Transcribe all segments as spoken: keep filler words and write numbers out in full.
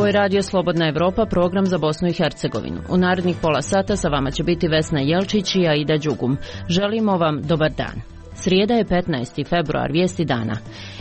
Ovo je Radio Slobodna Evropa, program za Bosnu i Hercegovinu. U narednih pola sata sa vama će biti Vesna Jelčić i Aida Đugum. Želimo vam dobar dan. Srijeda je petnaesti februar, vijesti dana.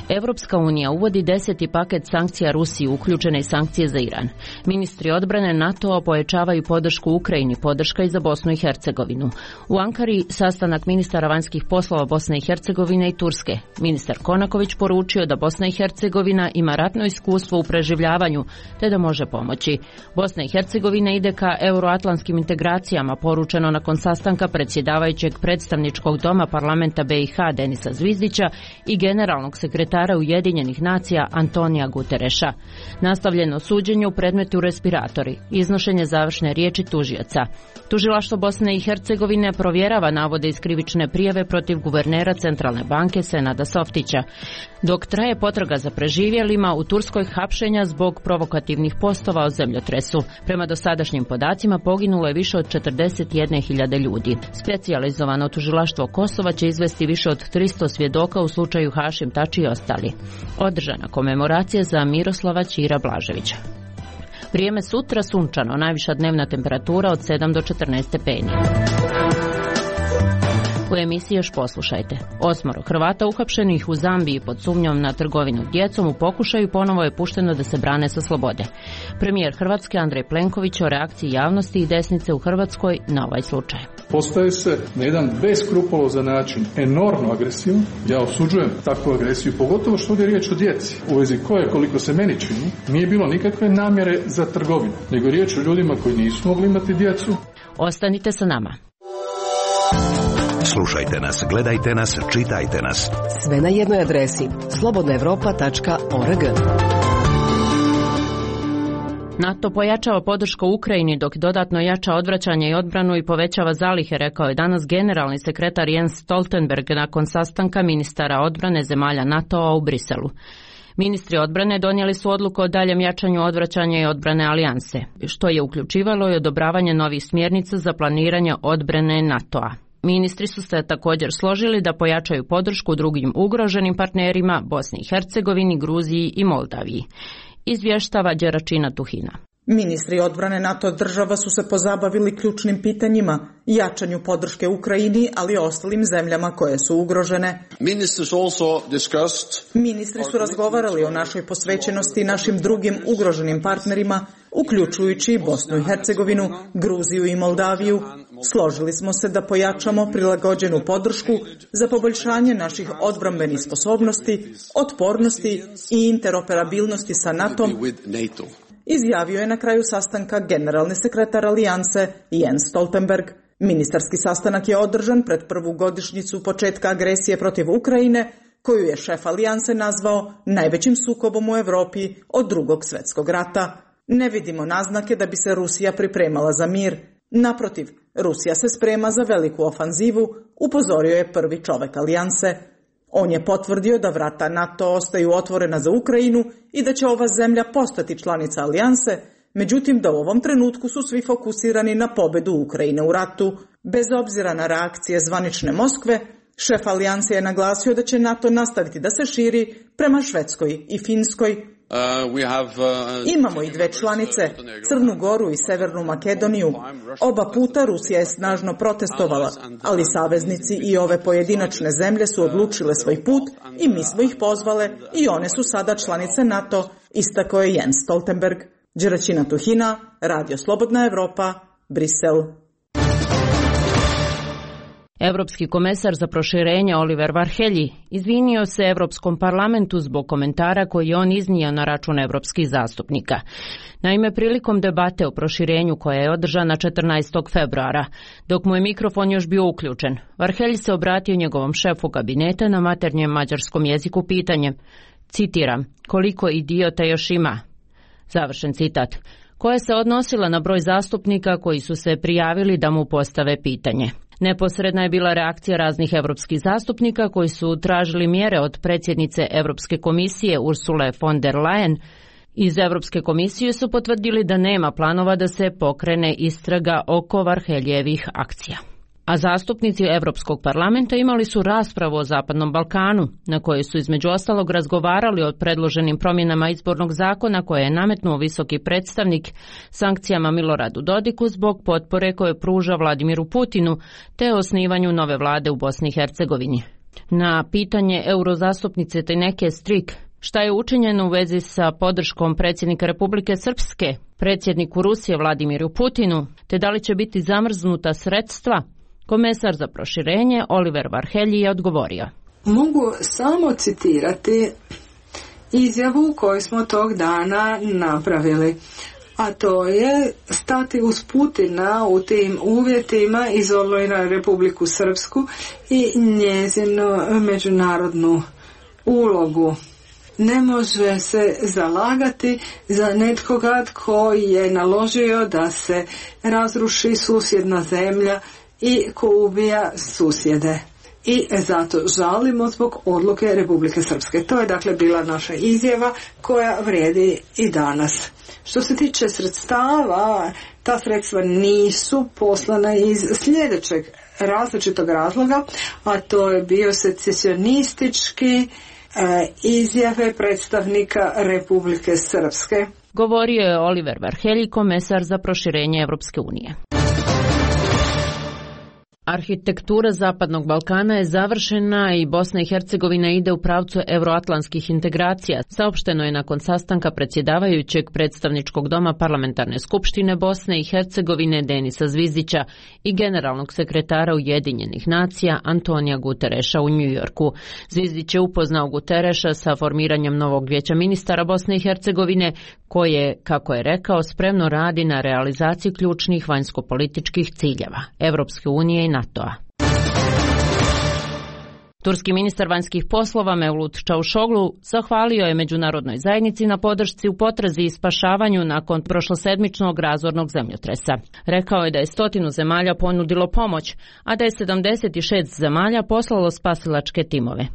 Evropska unija uvodi deseti paket sankcija Rusiji, uključene i sankcije za Iran. Ministri odbrane NATO-a pojačavaju podršku Ukrajini, podrška i za Bosnu i Hercegovinu. U Ankari sastanak ministara vanjskih poslova Bosne i Hercegovine i Turske. Ministar Konaković poručio da Bosna i Hercegovina ima ratno iskustvo u preživljavanju, te da može pomoći. Bosna i Hercegovina ide ka euroatlantskim integracijama, poručeno nakon sastanka predsjedavajućeg predstavničkog doma parlamenta B i H Denisa Zvizdića i generalnog sekretara Ujedinjenih nacija Antonija Gutereša. Nastavljeno suđenje u predmetu respiratori, iznošenje završne riječi tužioca. Tužilaštvo Bosne i Hercegovine provjerava navode iz krivične prijave protiv guvernera Centralne banke Senada Softića. Dok traje potraga za preživjelima, u Turskoj hapšenja zbog provokativnih postova o zemljotresu. Prema dosadašnjim podacima poginulo je više od četrdeset jedne hiljade ljudi. Specijalizovano tužilaštvo Kosova će izvesti više od tristo svjedoka u slučaju Hašim Tači i ostali. Održana komemoracija za Miroslava Ćira Blaževića. Vrijeme sutra sunčano, najviša dnevna temperatura od sedam do četrnaest stepeni. U emisiji još poslušajte. Osmoro Hrvata uhapšenih u Zambiji pod sumnjom na trgovinu djecom u pokušaju ponovo je pušteno da se brane sa slobode. Premijer Hrvatske Andrej Plenković o reakciji javnosti i desnice u Hrvatskoj na ovaj slučaj. Postaje se na jedan beskrupulozan način enormno agresivno. Ja osuđujem takvu agresiju, pogotovo što ovdje je riječ o djeci, u vezi koje, koliko se meni čini, nije bilo nikakve namjere za trgovinu, nego riječ o ljudima koji nisu mogli imati djecu. Ostanite sa nama. Slušajte nas, gledajte nas, čitajte nas. Sve na jednoj adresi slobodna evropa tačka org. NATO pojačava podršku Ukrajini dok dodatno jača odvraćanje i odbranu i povećava zalihe, rekao je danas generalni sekretar Jens Stoltenberg nakon sastanka ministara odbrane zemalja NATO-a u Briselu. Ministri odbrane donijeli su odluku o daljem jačanju odvraćanja i odbrane alijanse, što je uključivalo i odobravanje novih smjernica za planiranje odbrane NATO-a. Ministri su se također složili da pojačaju podršku drugim ugroženim partnerima Bosni i Hercegovini, Gruziji i Moldaviji. Izvještava Đeračina Tuhina. Ministri odbrane NATO država su se pozabavili ključnim pitanjima, jačanju podrške Ukrajini, ali i ostalim zemljama koje su ugrožene. Ministri su razgovarali o našoj posvećenosti našim drugim ugroženim partnerima, uključujući Bosnu i Hercegovinu, Gruziju i Moldaviju. Složili smo se da pojačamo prilagođenu podršku za poboljšanje naših odbrambenih sposobnosti, otpornosti i interoperabilnosti sa NATO-om, izjavio je na kraju sastanka generalni sekretar alijanse Jens Stoltenberg. Ministarski sastanak je održan pred prvu godišnjicu početka agresije protiv Ukrajine, koju je šef alijanse nazvao najvećim sukobom u Europi od drugog svjetskog rata. Ne vidimo naznake da bi se Rusija pripremala za mir. Naprotiv, Rusija se sprema za veliku ofanzivu, upozorio je prvi čovjek alijanse. On je potvrdio da vrata NATO ostaju otvorena za Ukrajinu i da će ova zemlja postati članica alijanse, međutim da u ovom trenutku su svi fokusirani na pobjedu Ukrajine u ratu. Bez obzira na reakcije zvanične Moskve, šef alijanse je naglasio da će NATO nastaviti da se širi prema Švedskoj i Finskoj. Uh, we have, uh, Imamo i dve članice, Crnu Goru i Severnu Makedoniju. Oba puta Rusija je snažno protestovala, ali saveznici i ove pojedinačne zemlje su odlučile svoj put i mi smo ih pozvale i one su sada članice NATO, istakao je Jens Stoltenberg. Đeračina Tuhina, Radio Slobodna Evropa, Brisel. Europski komesar za proširenje Oliver Varhelyi izvinio se Europskom parlamentu zbog komentara koji je on iznio na račun europskih zastupnika. Naime, prilikom debate o proširenju koja je održana četrnaestog februara, dok mu je mikrofon još bio uključen, Varhelyi se obratio njegovom šefu kabineta na maternjem mađarskom jeziku pitanjem, citiram, koliko idiota još ima? Završen citat, koja se odnosila na broj zastupnika koji su se prijavili da mu postave pitanje. Neposredna je bila reakcija raznih europskih zastupnika koji su tražili mjere od predsjednice Europske komisije Ursule von der Leyen. Iz Europske komisije su potvrdili da nema planova da se pokrene istraga oko Varhelyjevih akcija. A zastupnici Europskog parlamenta imali su raspravu o Zapadnom Balkanu, na kojoj su između ostalog razgovarali o predloženim promjenama izbornog zakona koje je nametnuo visoki predstavnik, sankcijama Miloradu Dodiku zbog potpore koje pruža Vladimiru Putinu, te osnivanju nove vlade u Bosni i Hercegovini. Na pitanje eurozastupnice Tejneke Strik šta je učinjeno u vezi sa podrškom predsjednika Republike Srpske, predsjedniku Rusije Vladimiru Putinu, te da li će biti zamrznuta sredstva, komesar za proširenje Oliver Varhelyi je odgovorio. Mogu samo citirati izjavu koju smo tog dana napravili, a to je stati uz Putina u tim uvjetima, izolirati Republiku Srpsku i njezinu međunarodnu ulogu. Ne može se zalagati za netkoga tko je naložio da se razruši susjedna zemlja i ko ubija susjede. I zato žalimo zbog odluke Republike Srpske. To je dakle bila naša izjava koja vrijedi i danas. Što se tiče sredstava, ta sredstva nisu poslana iz sljedećeg različitog razloga, a to je bio secesionistički e, izjave predstavnika Republike Srpske. Govorio je Oliver Varhelyi, komesar za proširenje Evropske unije. Arhitektura Zapadnog Balkana je završena i Bosna i Hercegovina ide u pravcu euroatlantskih integracija, saopšteno je nakon sastanka predsjedavajućeg predstavničkog doma Parlamentarne skupštine Bosne i Hercegovine Denisa Zvizdića i generalnog sekretara Ujedinjenih nacija Antonija Gutereša u Njujorku. Zvizdić je upoznao Gutereša sa formiranjem novog vijeća ministara Bosne i Hercegovine, koje, kako je rekao, spremno radi na realizaciji ključnih vanjskopolitičkih ciljeva Evropske unije i NATO-a. Turski ministar vanjskih poslova Mevlut Čavuşoglu zahvalio je međunarodnoj zajednici na podršci u potrazi i spašavanju nakon prošlosedmičnog razornog zemljotresa. Rekao je da je stotinu zemalja ponudilo pomoć, a da je sedamdeset šest zemalja poslalo spasilačke timove.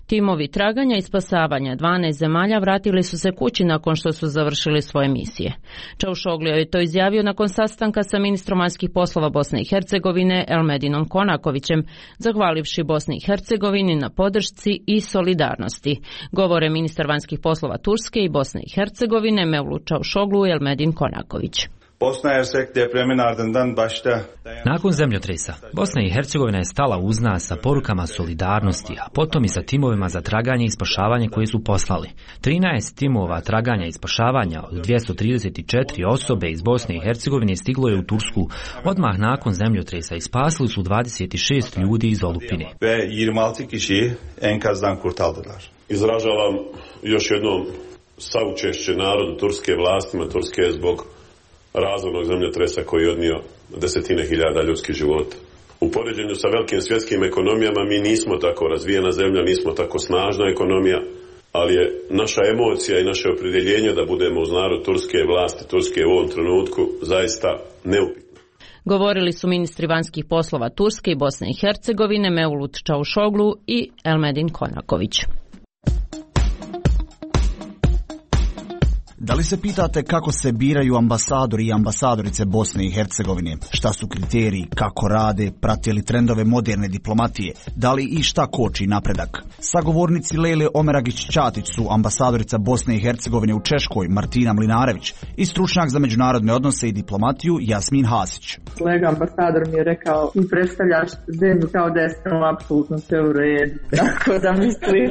Timovi traganja i spasavanja dvanaest zemalja vratili su se kući nakon što su završili svoje misije. Čavuşoglu je to izjavio nakon sastanka sa ministrom vanjskih poslova Bosne i Hercegovine Elmedinom Konakovićem, zahvalivši Bosni i Hercegovini na podršci i solidarnosti. Govore ministar vanjskih poslova Turske i Bosne i Hercegovine Mevlut Čavuşoglu i Elmedin Konaković. Nakon zemljotresa, Bosna i Hercegovina je stala uz nas sa porukama solidarnosti, a potom i sa timovima za traganje i spašavanje koje su poslali. trinaest timova traganja i spašavanja od dvjesto trideset četiri osobe iz Bosne i Hercegovine stiglo je u Tursku odmah nakon zemljotresa i spasili su dvadeset šest ljudi iz olupine. Izražavam još jednom saučešće narodu turske vlastima. Turske je zbog razornog zemljotresa koji je odnio desetine hiljada ljudskih života. U poređenju sa velikim svjetskim ekonomijama mi nismo tako razvijena zemlja, nismo tako snažna ekonomija, ali je naša emocija i naše opredjeljenje da budemo uz narod turske vlasti, Turske u ovom trenutku zaista neupitno. Govorili su ministri vanjskih poslova Turske i Bosne i Hercegovine Mevlut Čavuşoglu i Elmedin Konaković. Da li se pitate kako se biraju ambasadori i ambasadorice Bosne i Hercegovine? Šta su kriteriji, kako rade, prate li trendove moderne diplomatije? Da li i šta koči napredak? Sagovornici Lele Omeragić-Ćatić su ambasadorica Bosne i Hercegovine u Češkoj Martina Mlinarević i stručnjak za međunarodne odnose i diplomatiju Jasmin Hasić. Kolega ambasador mi je rekao, ti predstavljaš zemlju kao da je samo apsolutno sve u redu. Tako da mislim,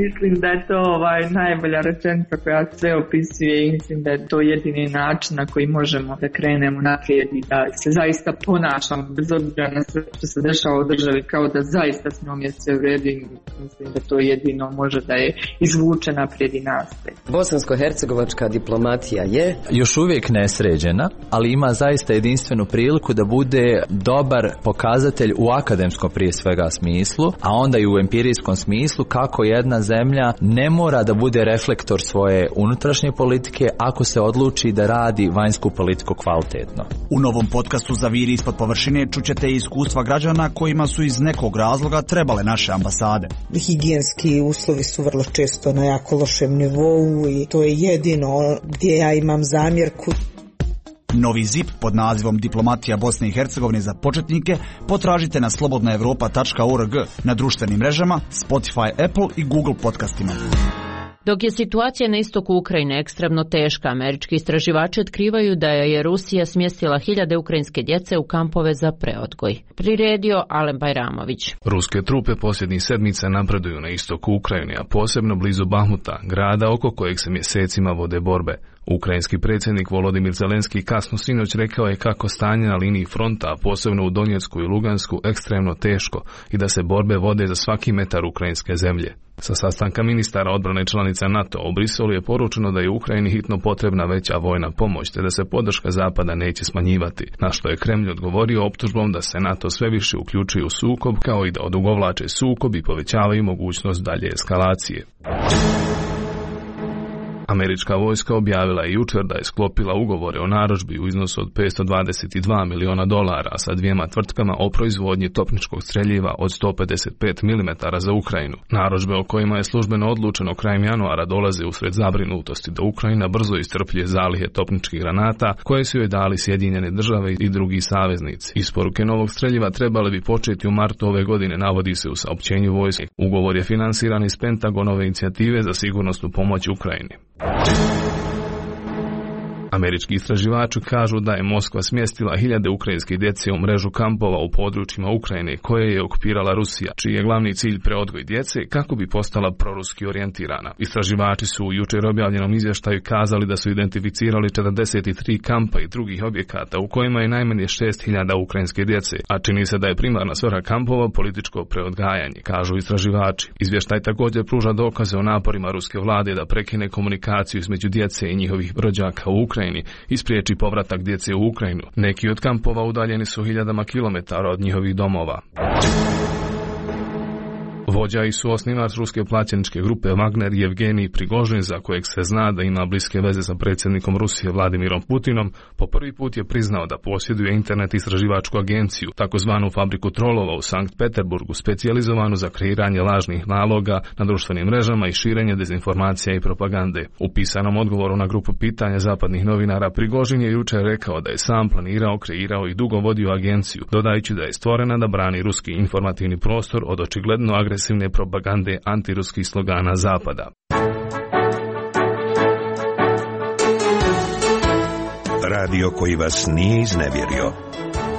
mislim da je to ovaj, najbolja rečenica koja sve opisuje i mislim da je to jedini način na koji možemo da krenemo naprijed i da se zaista ponašamo bez obzira na sve što se dešava u državi kao da zaista s njom je sve u redu i mislim da to jedino može da je izvuče naprijed i nastaje. Bosansko-hercegovačka diplomatija je još uvijek nesređena, ali ima zaista jedinstvenu priliku da bude dobar pokazatelj u akademskom prije svega smislu, a onda i u empirijskom smislu kako jedna zemlja ne mora da bude reflektor svoje unutrašnje politike ako se odluči da radi vanjsku politiku kvalitetno. U novom podcastu Zaviri ispod površine čućete iskustva građana kojima su iz nekog razloga trebale naše ambasade. Higijenski uslovi su vrlo često na jako lošem nivou i to je jedino gdje ja imam zamjerku. Novi zip pod nazivom Diplomatija Bosne i Hercegovine za početnike potražite na slobodna europa tačka org, na društvenim mrežama, Spotify, Apple i Google podcastima. Dok je situacija na istoku Ukrajine ekstremno teška, američki istraživači otkrivaju da je Rusija smjestila hiljade ukrajinske djece u kampove za preodgoj. Priredio Alen Bajramović. Ruske trupe posljednjih sedmica napreduju na istoku Ukrajine, a posebno blizu Bahmuta, grada oko kojeg se mjesecima vode borbe. Ukrajinski predsjednik Volodimir Zelenski kasno sinoć rekao je kako stanje na liniji fronta, a posebno u Donjecku i Lugansku, ekstremno teško i da se borbe vode za svaki metar ukrajinske zemlje. Sa sastanka ministara odbrane članica NATO u Briselu je poručeno da je Ukrajini hitno potrebna veća vojna pomoć, te da se podrška Zapada neće smanjivati, na što je Kremlj odgovorio optužbom da se NATO sve više uključuje u sukob, kao i da odugovlače sukob i povećavaju mogućnost dalje eskalacije. Američka vojska objavila je jučer da je sklopila ugovore o narudžbi u iznosu od petsto dvadeset dva miliona dolara sa dvijema tvrtkama o proizvodnji topničkog streljiva od sto pedeset pet milimetara za Ukrajinu. Narudžbe o kojima je službeno odlučeno krajem januara dolaze usred zabrinutosti da Ukrajina brzo iscrpljuje zalihe topničkih granata koje su joj dali Sjedinjene države i drugi saveznici. Isporuke novog streljiva trebale bi početi u martu ove godine, navodi se u saopćenju vojske. Ugovor je finansiran iz Pentagonove inicijative za sigurnosnu pomoć Ukrajini. Američki istraživači kažu da je Moskva smjestila hiljade ukrajinske djece u mrežu kampova u područjima Ukrajine koje je okupirala Rusija, čiji je glavni cilj preodgoj djece kako bi postala proruski orijentirana. Istraživači su u jučer objavljenom izvještaju kazali da su identificirali četrdeset tri kampa i drugih objekata u kojima je najmanje šest hiljada ukrajinske djece, a čini se da je primarna svrha kampova političko preodgajanje, kažu istraživači. Izvještaj također pruža dokaze o naporima ruske vlade da prekine komunikaciju između djece i njihovih rođaka u Ukrajini i spriječi povratak djece u Ukrajinu. Neki od kampova udaljeni su hiljadama kilometara od njihovih domova. Vođa i suosnivač ruske plaćeničke grupe Wagner Yevgenij Prigožin, za kojeg se zna da ima bliske veze sa predsjednikom Rusije Vladimirom Putinom, po prvi put je priznao da posjeduje internet istraživačku agenciju, takozvanu fabriku trolova u Sankt Peterburgu, specijalizovanu za kreiranje lažnih naloga na društvenim mrežama i širenje dezinformacija i propagande. U pisanom odgovoru na grupu pitanja zapadnih novinara Prigožin je jučer rekao da je sam planirao, kreirao i dugo vodio agenciju, dodajući da je stvorena da brani ruski informativni prostor od očigledno agresivne propagande antiruskih slogana Zapada. Radio koji vas nije iznevjerio.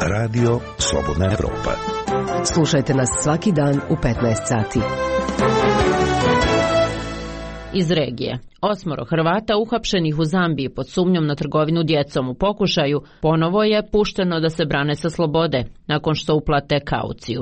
Radio Slobodna Evropa. Slušajte nas svaki dan u petnaest sati. Iz regije. Osmoro Hrvata uhapšenih u Zambiji pod sumnjom na trgovinu djecom u pokušaju ponovo je pušteno da se brane sa slobode nakon što uplate kauciju.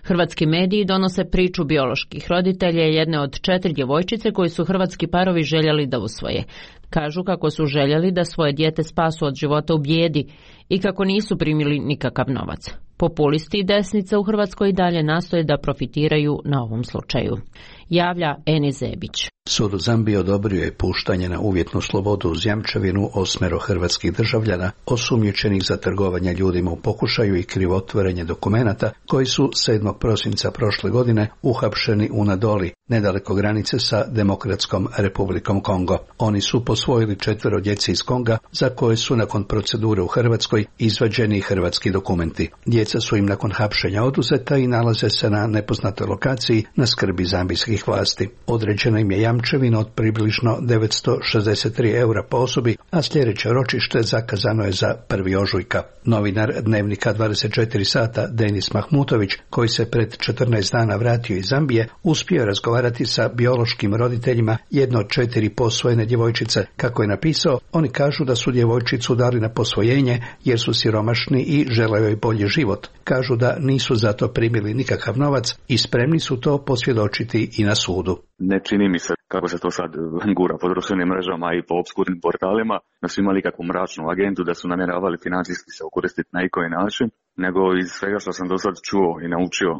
Hrvatski mediji donose priču bioloških roditelja jedne od četiri djevojčice koji su hrvatski parovi željeli da usvoje. Kažu kako su željeli da svoje dijete spasu od života u bijedi i kako nisu primili nikakav novac. Populisti i desnica u Hrvatskoj i dalje nastoje da profitiraju na ovom slučaju. Javlja Eni Zebić. Sud u Zambiji odobrio je puštanje na uvjetnu slobodu uz jamčevinu osmero hrvatskih državljana osumnjičenih za trgovanje ljudima u pokušaju i krivotvorenje dokumenata koji su sedmog prosinca prošle godine uhapšeni u Nadoli, nedaleko granice sa Demokratskom Republikom Kongo. Oni su posvojili četvero djece iz Konga za koje su nakon procedure u Hrvatskoj izvađeni hrvatski dokumenti. Djeca su im nakon hapšenja oduzeta i nalaze se na nepoznatoj lokaciji na skrbi zambijskih vlasti. Određeno im je jamčevina od približno devetsto šezdeset tri eura po osobi, a sljedeće ročište zakazano je za prvi ožujka. Novinar Dnevnika dvadeset četiri sata Denis Mahmutović, koji se pred četrnaest dana vratio iz Zambije, uspio razgovarati sa biološkim roditeljima jedno od četiri posvojene djevojčice. Kako je napisao, oni kažu da su djevojčicu dali na posvojenje jer su siromašni i žele joj bolji život. Kažu da nisu zato primili nikakav novac i spremni su to posvjedočiti i na sudu. Ne čini mi se, kako se to sad gura po društvenim mrežama i po obskurnim portalima, da su imali kakvu mračnu agendu, da su namjeravali financijski se okoristiti na ikoji način, nego iz svega što sam do sad čuo i naučio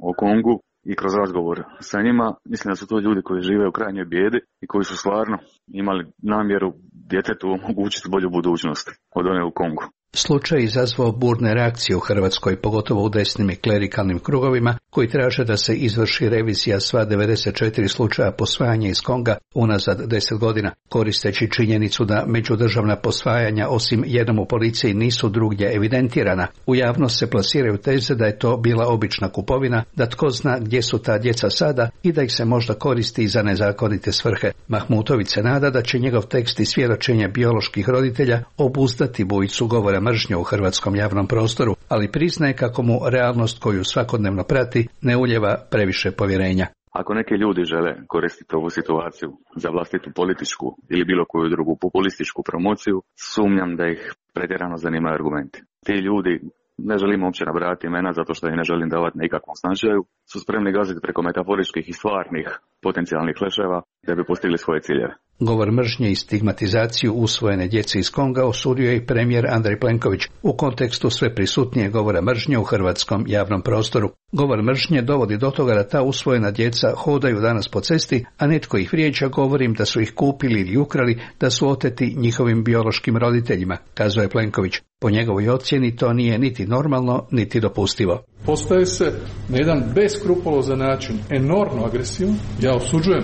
o Kongu i kroz razgovor sa njima, mislim da su to ljudi koji žive u krajnjoj bijedi i koji su stvarno imali namjeru djetetu omogućiti bolju budućnost od one u Kongu. Slučaj je izazvao burne reakcije u Hrvatskoj, pogotovo u desnim i klerikalnim krugovima, koji traže da se izvrši revizija sva devedeset četiri slučaja posvajanja iz Konga unazad deset godina, koristeći činjenicu da međudržavna posvajanja osim jednom u policiji nisu drugdje evidentirana. U javnost se plasiraju teze da je to bila obična kupovina, da tko zna gdje su ta djeca sada i da ih se možda koristi za nezakonite svrhe. Mahmutović se nada da će njegov tekst i svjedočenje bioloških roditelja obuzdati bujicu govora mržnje u hrvatskom javnom prostoru, ali priznaje kako mu realnost koju svakodnevno prati ne uljeva previše povjerenja. Ako neki ljudi žele koristiti ovu situaciju za vlastitu političku ili bilo koju drugu populističku promociju, sumnjam da ih pretjerano zanimaju argumenti. Ti ljudi, ne želim uopće nabrajati imena zato što ih ne želim davati na ikakvom značaju, su spremni gaziti preko metaforičkih i stvarnih potencijalnih leševa da bi postigli svoje ciljeve. Govor mržnje i stigmatizaciju usvojene djece iz Konga osudio je i premijer Andrej Plenković u kontekstu sve prisutnije govora mržnje u hrvatskom javnom prostoru. Govor mržnje dovodi do toga da ta usvojena djeca hodaju danas po cesti, a netko ih vrijeđa govorim da su ih kupili ili ukrali, da su oteti njihovim biološkim roditeljima, kazao je Plenković. Po njegovoj ocjeni to nije niti normalno, niti dopustivo. Postaje se na jedan beskrupulozan način enormno agresivno. Ja osuđujem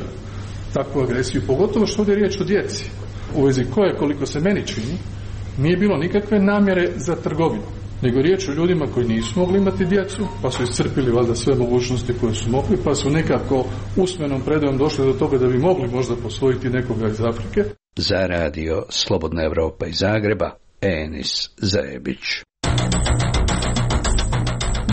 takvu agresiju, pogotovo što ovdje je riječ o djeci, u vezi koje, koliko se meni čini, nije bilo nikakve namjere za trgovinu, nego riječ o ljudima koji nisu mogli imati djecu, pa su iscrpili valjda sve mogućnosti koje su mogli, pa su nekako usmenom predajom došli do toga da bi mogli možda posvojiti nekoga iz Afrike. Za radio Slobodna Evropa iz Zagreba, Enis Zajebić.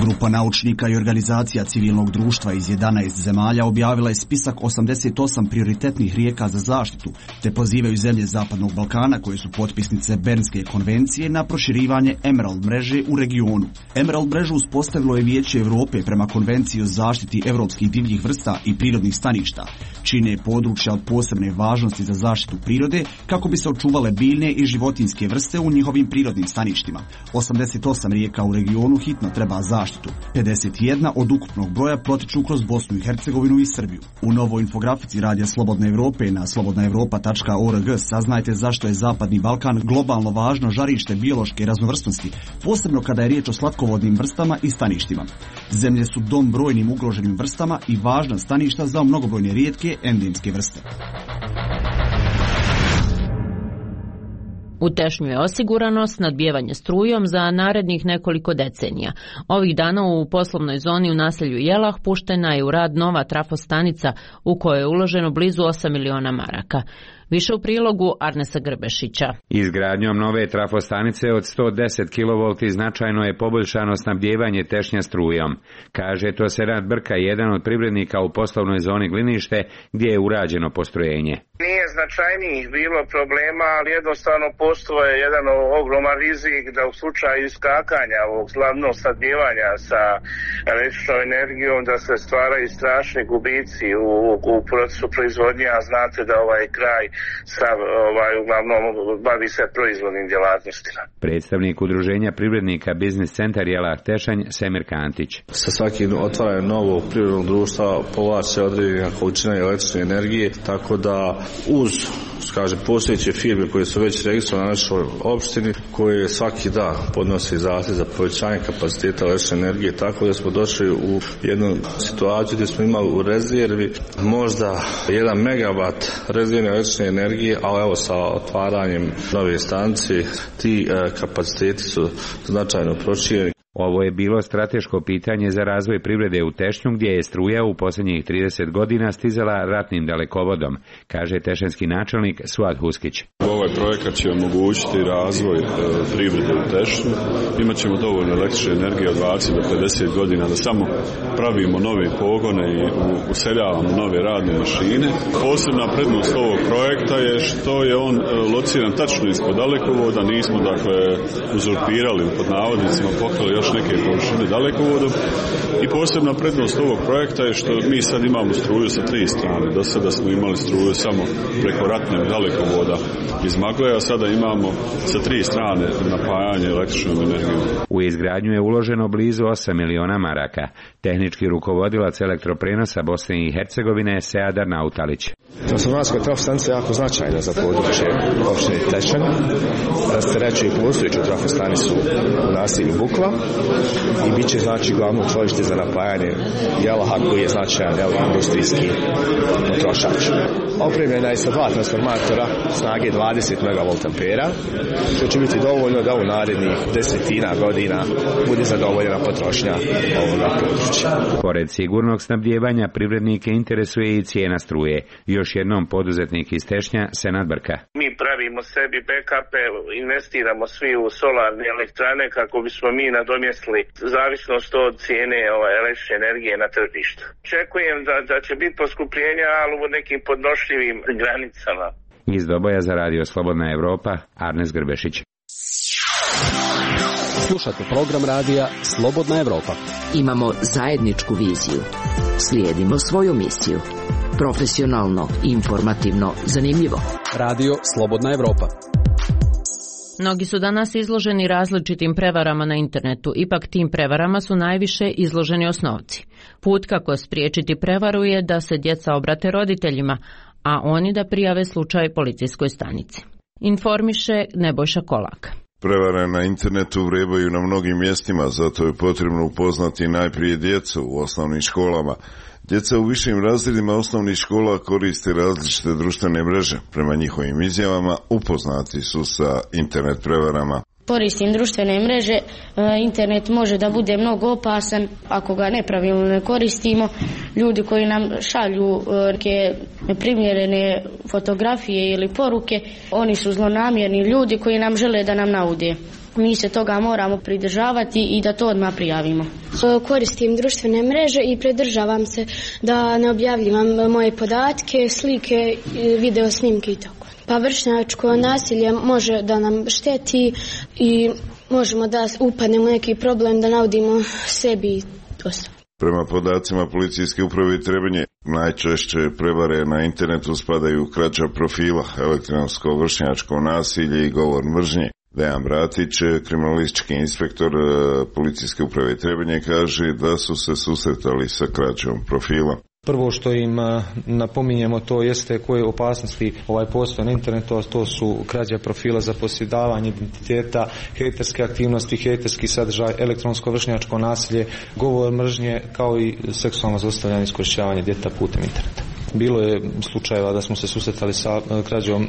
Grupa naučnika i organizacija civilnog društva iz jedanaest zemalja objavila je spisak osamdeset osam prioritetnih rijeka za zaštitu, te pozivaju zemlje Zapadnog Balkana koje su potpisnice Bernske konvencije na proširivanje Emerald mreže u regionu. Emerald mrežu uspostavilo je Vijeće Europe prema konvenciji o zaštiti evropskih divljih vrsta i prirodnih staništa. Čine područja od posebne važnosti za zaštitu prirode kako bi se očuvale biljne i životinjske vrste u njihovim prirodnim staništima. osamdeset osam rijeka u regionu hitno treba zaštitu. pedeset jedna od ukupnog broja protiču kroz Bosnu i Hercegovinu i Srbiju. U novoj infografici Radija Slobodne Evrope na slobodna evropa tačka org saznajte zašto je Zapadni Balkan globalno važno žarište biološke raznovrsnosti, posebno kada je riječ o slatkovodnim vrstama i staništima. Zemlje su dom brojnim ugroženim vrstama i važna staništa za mnogobrojne rijetke endemske vrste. U Tešnju je osigurano snadbijevanje strujom za narednih nekoliko decenija. Ovih dana u poslovnoj zoni u naselju Jelah puštena je u rad nova trafostanica u kojoj je uloženo blizu osam miliona maraka. Više u prilogu Arnesa Grbešića. Izgradnjom nove trafostanice od sto deset kilovolti značajno je poboljšano snabdijevanje Tešnja strujom, kaže to Senad Brka, jedan od privrednika u poslovnoj zoni Glinište, gdje je urađeno postrojenje. Nije značajnijih bilo problema, ali jednostavno postoje jedan ogroman rizik da u slučaju iskakanja ovog slavnog snabdijevanja sa električnom energijom da se stvaraju strašni gubici u, u procesu proizvodnje, a znate da ovaj kraj sa, ovaj, uglavnom bavi se proizvodnim djelatnostima. Predstavnik udruženja privrednika Biznis centar Jelah Tešanj, Semir Kantić. Sa svakim otvaranjem novog privrednog društva povlače određena količina električne energije, tako da uz kaže, postojeće firme koje su već registrovane na našoj opštini, koje svaki dan podnose zahtjev za povećanje kapaciteta električne energije, tako da smo došli u jednu situaciju gdje smo imali u rezervi možda jedan megavat rezervne električne energije, ali evo sa otvaranjem nove stanice ti e, kapaciteti su značajno prošireni. Ovo je bilo strateško pitanje za razvoj privrede u Tešnju, gdje je struja u posljednjih trideset godina stizala ratnim dalekovodom, kaže tešanski načelnik Suad Huskić. Ovaj projekat će omogućiti razvoj e, privrede u Tešnju. Imaćemo dovoljno električne energije od dvadeset do pedeset godina da samo pravimo nove pogone i useljavamo nove radne mašine. Posebna prednost ovog projekta je što je on e, lociran tačno ispod dalekovoda, nismo dakle uzurpirali pod navodnicima, pokrali još još neke površine dalekovodom. I posebna prednost ovog projekta je što mi sad imamo struju sa tri strane. Do sada smo imali struju samo preko ratne dalekovoda iz Magle, a sada imamo sa tri strane napajanje električnom energijom. U izgradnju je uloženo blizu osam miliona maraka. Tehnički rukovodilac elektroprenosa Bosne i Hercegovine Seadar Nautalić. Transformatorska trafostanica je jako značajna za područje opštine Tečana. Rasterećuje postojeću trafostanicu u naselju Bukva i bit će znači glavno čvorište za napajanje Jelaha koji je značajan industrijski potrošač. Opremljena je sa dva transformatora snage dvadeset megavolta ampera, što će biti dovoljno da u narednih desetina godina bude zadovoljena potrošnja ovoga područja. Pored sigurnog snabdijevanja, privrednike interesuje i cijena struje. Još jednom poduzetnik iz Tešnja Senad Brka. Mi pravimo sebi backupe, investiramo svi u solarne elektrane kako bismo mi nadomjestili zavisnost od cijene ovaj, električne energije na tržištu. Očekujem da, da će biti poskupljenja, ali u nekim podnošljivim granicama. Iz Doboja za Radio Slobodna Evropa, Arnes Grbešić. Slušate program radija Slobodna Evropa. Imamo zajedničku viziju. Slijedimo svoju misiju. Profesionalno, informativno, zanimljivo. Radio Slobodna Evropa. Mnogi su danas izloženi različitim prevarama na internetu, ipak tim prevarama su najviše izloženi osnovci. Put kako spriječiti prevaru je da se djeca obrate roditeljima, a oni da prijave slučaj policijskoj stanici. Informiše Nebojša Kolak. Prevare na internetu vrebaju na mnogim mjestima, zato je potrebno upoznati najprije djecu u osnovnim školama. Djeca u višim razredima osnovnih škola koriste različite društvene mreže. Prema njihovim izjavama upoznati su sa internet prevarama. Koristim društvene mreže, internet može da bude mnogo opasan ako ga nepravilno ne koristimo. Ljudi koji nam šalju neke neprimjerene fotografije ili poruke, oni su zlonamjerni ljudi koji nam žele da nam naude. Mi se toga moramo pridržavati i da to odmah prijavimo. Koristim društvene mreže i pridržavam se da ne objavljivam moje podatke, slike, video snimke i tako. Pa vršnjačko nasilje može da nam šteti i možemo da upadnemo u neki problem da naudimo sebi dosta. Prema podacima policijske uprave Trebinje, najčešće prevare na internetu spadaju krađa profila, elektronsko vršnjačko nasilje i govor mržnje. Dejan Bratić, kriminalistički inspektor policijske uprave Trebinje, kaže da su se susretali sa krađom profila. Prvo što im napominjemo to jeste koje opasnosti ovaj postoje na internetu, a to su krađa profila, zaposjedavanje identiteta, hejterske aktivnosti, hejterski sadržaj, elektronsko vršnjačko nasilje, govor mržnje kao i seksualno zlostavljanje i iskorištavanje djeteta putem interneta. Bilo je slučajeva da smo se susretali sa krađom,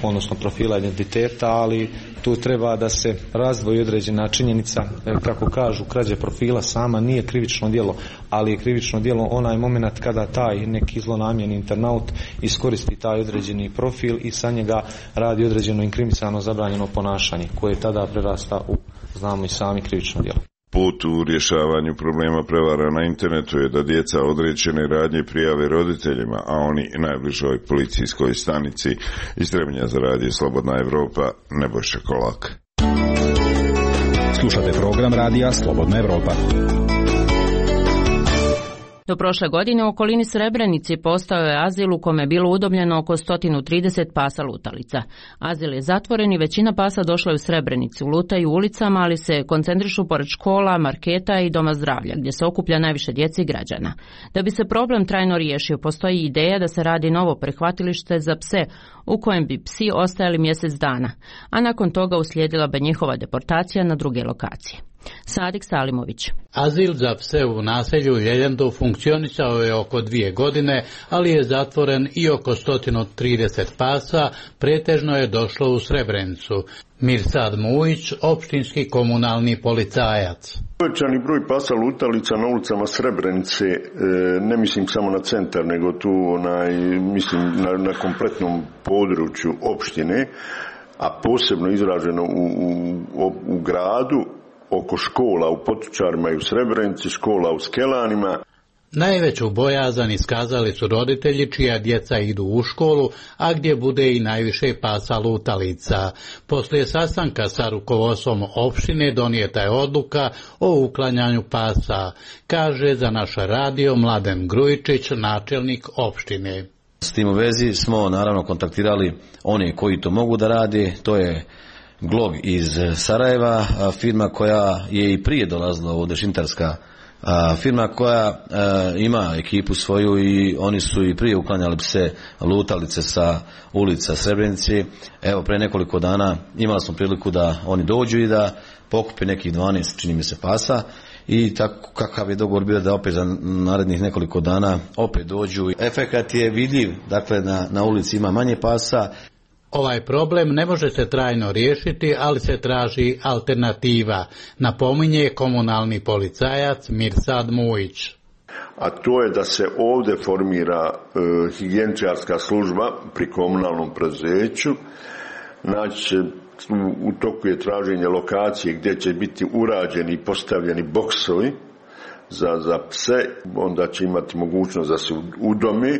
odnosno profila identiteta, ali tu treba da se razdvoji određena činjenica. Kako kažu, krađa profila sama nije krivično djelo, ali je krivično djelo onaj moment kada taj neki zlonamjerni internaut iskoristi taj određeni profil i sa njega radi određeno inkriminirano zabranjeno ponašanje, koje tada prerasta u, znamo i sami, krivično djelo. Put u rješavanju problema prevara na internetu je da djeca određene radnje prijave roditeljima, a oni najbližoj policijskoj stanici. Iz Trebinja za Radio Slobodna Evropa, Nebojša Kolak. Slušate program radija Slobodna Evropa. Do prošle godine u okolini Srebrenici postao je azil u kome je bilo udobljeno oko sto trideset pasa lutalica. Azil je zatvoren i većina pasa došla je u Srebrenicu. Lutaju ulicama, ali se koncentrišu pored škola, marketa i doma zdravlja, gdje se okuplja najviše djece i građana. Da bi se problem trajno riješio, postoji ideja da se radi novo prihvatilište za pse, u kojem bi psi ostajali mjesec dana, a nakon toga uslijedila bi njihova deportacija na druge lokacije. Sadik Salimović. Azil za pse u naselju Ljeljendu funkcionisao je oko dvije godine, ali je zatvoren i oko sto trideset pasa pretežno je došlo u Srebrenicu. Mirsad Mujić, opštinski komunalni policajac. Povećani broj pasa lutalica na ulicama Srebrenice, ne mislim samo na centar, nego tu onaj, mislim na, na kompletnom području opštine, a posebno izraženo u, u, u gradu, oko škola u Potočarima i u Srebrenici, škola u Skelanima. Najveću bojazan iskazali su roditelji čija djeca idu u školu, a gdje bude i najviše pasa lutalica. Poslije sastanka sa rukovodstvom opštine donijeta je odluka o uklanjanju pasa, kaže za naš radio Mladen Grujičić, načelnik opštine. S tim u vezi smo naravno kontaktirali one koji to mogu da rade, to je Glog iz Sarajeva, firma koja je i prije dolazila ovdje, šintarska firma koja ima ekipu svoju i oni su i prije uklanjali pse lutalice sa ulica Srebrenice. Evo, pre nekoliko dana imali smo priliku da oni dođu i da pokupe nekih dvanaest, čini mi se, pasa. I tako kakav je dogovor bio da opet za narednih nekoliko dana opet dođu. Efekat je vidljiv, dakle na, na ulici ima manje pasa. Ovaj problem ne može se trajno riješiti, ali se traži alternativa, napominje komunalni policajac Mirsad Mujić. A to je da se ovdje formira e, higijeničarska služba pri komunalnom preduzeću. Znači, u toku je traženje lokacije gdje će biti urađeni i postavljeni boksovi za, za pse, onda će imati mogućnost da se udome,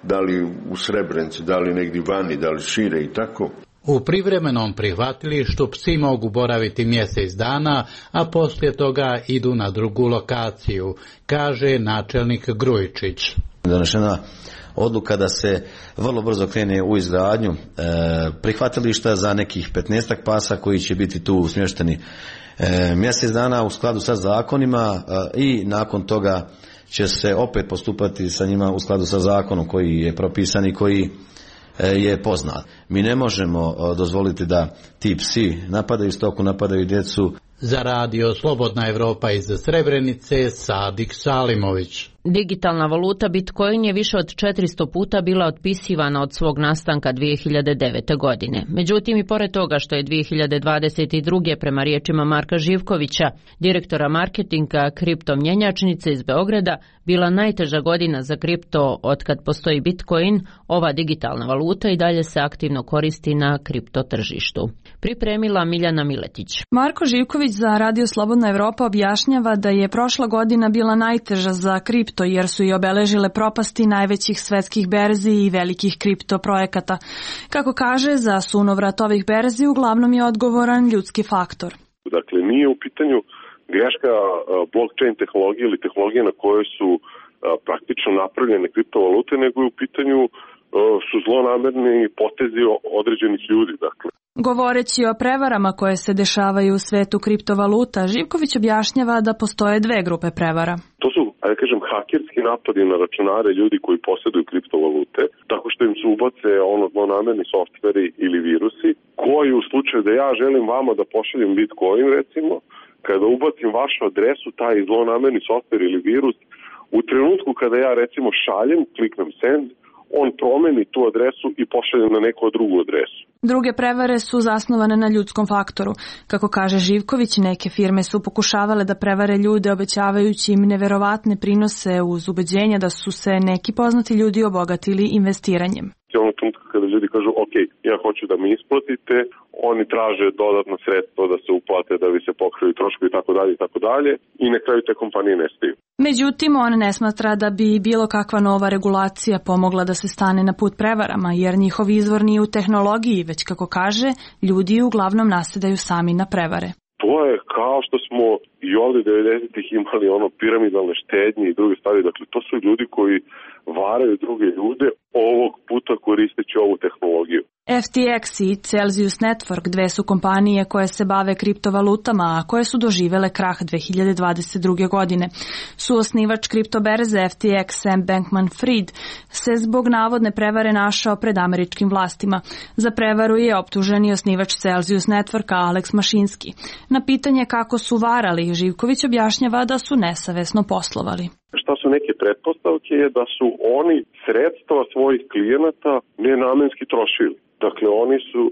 da li u Srebrenici, da li negdje vani, da li šire i tako. U privremenom prihvatilištu psi mogu boraviti mjesec dana, a poslije toga idu na drugu lokaciju, kaže načelnik Grujičić. Donešena odluka da se vrlo brzo krene u izgradnju e, prihvatilišta za nekih petnaestak pasa koji će biti tu smješteni e, mjesec dana u skladu sa zakonima e, i nakon toga će se opet postupati sa njima u skladu sa zakonom koji je propisan i koji e, je poznat. Mi ne možemo e, dozvoliti da ti psi napadaju stoku, napadaju djecu. Za radio Slobodna Evropa iz Srebrenice, Sadik Salimović. Digitalna valuta Bitcoin je više od četiristo puta bila otpisivana od svog nastanka dvije hiljade devete. godine. Međutim, i pored toga što je dvije hiljade dvadeset druge. prema riječima Marka Živkovića, direktora marketinga kripto mjenjačnice iz Beograda, bila najteža godina za kripto otkad postoji Bitcoin, ova digitalna valuta i dalje se aktivno koristi na kripto tržištu. Pripremila Miljana Miletić. Marko Živković za Radio Slobodna Evropa objašnjava da je prošla godina bila najteža za kripto jer su i obeležile propasti najvećih svetskih berzi i velikih kripto projekata. Kako kaže, za sunovrat ovih berzi uglavnom je odgovoran ljudski faktor. Dakle, nije u pitanju greška blockchain tehnologije ili tehnologije na kojoj su praktično napravljene kriptovalute, nego je u pitanju su zlonamerni potezi određenih ljudi. Dakle. Govoreći o prevarama koje se dešavaju u svetu kriptovaluta, Živković objašnjava da postoje dve grupe prevara. To su, ajde kažem, hakerski napadi na računare ljudi koji posjeduju kriptovalute, tako što im se ubace ono zlonamerni softveri ili virusi, koji u slučaju da ja želim vama da pošaljem Bitcoin, recimo, kada ubacim vašu adresu, taj zlonamerni softver ili virus, u trenutku kada ja recimo šaljem, kliknem send, on promeni tu adresu i pošalje na neku drugu adresu. Druge prevare su zasnovane na ljudskom faktoru. Kako kaže Živković, neke firme su pokušavale da prevare ljude obećavajući im neverovatne prinose uz ubeđenja da su se neki poznati ljudi obogatili investiranjem. Ono trenutku kada ljudi kažu ok, ja hoću da mi isplatite, oni traže dodatno sredstvo da se uplate, da bi se pokrili troškovi i tako dalje i tako dalje i na kraju te kompanije nestaju. Međutim, on ne smatra da bi bilo kakva nova regulacija pomogla da se stane na put prevarama, jer njihov izvor nije u tehnologiji, već kako kaže, ljudi uglavnom nasedaju sami na prevare. To je kao što smo i ovdje devedesetih imali ono piramidalne štednje i druge stvari. Dakle, to su ljudi koji varaju druge ljude, ovog puta koristeći ovu tehnologiju. F T X i Celsius Network, dve su kompanije koje se bave kriptovalutama, a koje su doživele krah dvije hiljade dvadeset druge. godine. Suosnivač kriptoberze F T X Sam Bankman-Fried se zbog navodne prevare našao pred američkim vlastima. Za prevaru je optužen i osnivač Celsius Networka Alex Mašinski. Na pitanje kako su varali, Živković objašnjava da su nesavesno poslovali. Šta su neke pretpostavke je da su oni sredstva svojih klijenata nenamenski trošili. Dakle, oni su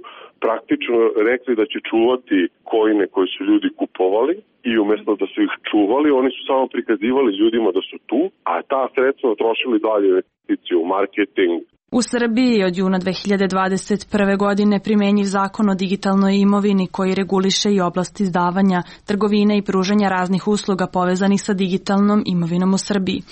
praktično rekli da će čuvati kojine koje su ljudi kupovali i umjesto da su ih čuvali, oni su samo prikazivali ljudima da su tu, a ta sredstva trošili dalje investicije u marketing, U Srbiji od juna dve hiljade dvadeset prve. godine primenjiv zakon o digitalnoj imovini koji reguliše i oblast izdavanja, trgovine i pružanja raznih usluga povezanih sa digitalnom imovinom u Srbiji.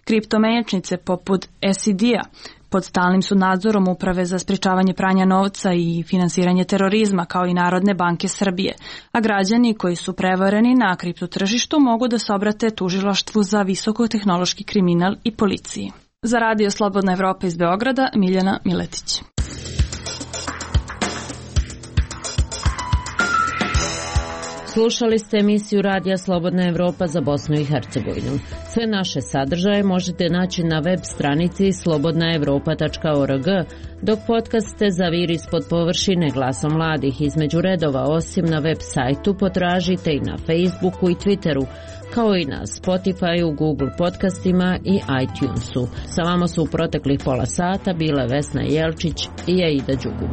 Kriptomenjačnice poput S I D-a pod stalnim su nadzorom Uprave za sprečavanje pranja novca i finansiranje terorizma kao i Narodne banke Srbije, a građani koji su prevareni na kriptotržištu mogu da se obrate tužilaštvu za visokotehnološki kriminal i policiji. Za Radio Slobodna Evropa iz Beograda, Miljana Miletić. Slušali ste emisiju Radija Slobodna Evropa za Bosnu i Hercegovinu. Sve naše sadržaje možete naći na web stranici slobodna evropa tačka org, dok podcaste Zaviri ispod površine Glasom mladih između redova osim na web sajtu potražite i na Facebooku i Twitteru, kao i na Spotifyu, Google podcastima i iTunesu. Sa vama su u proteklih pola sata bile Vesna Jelčić i Aida Đugum.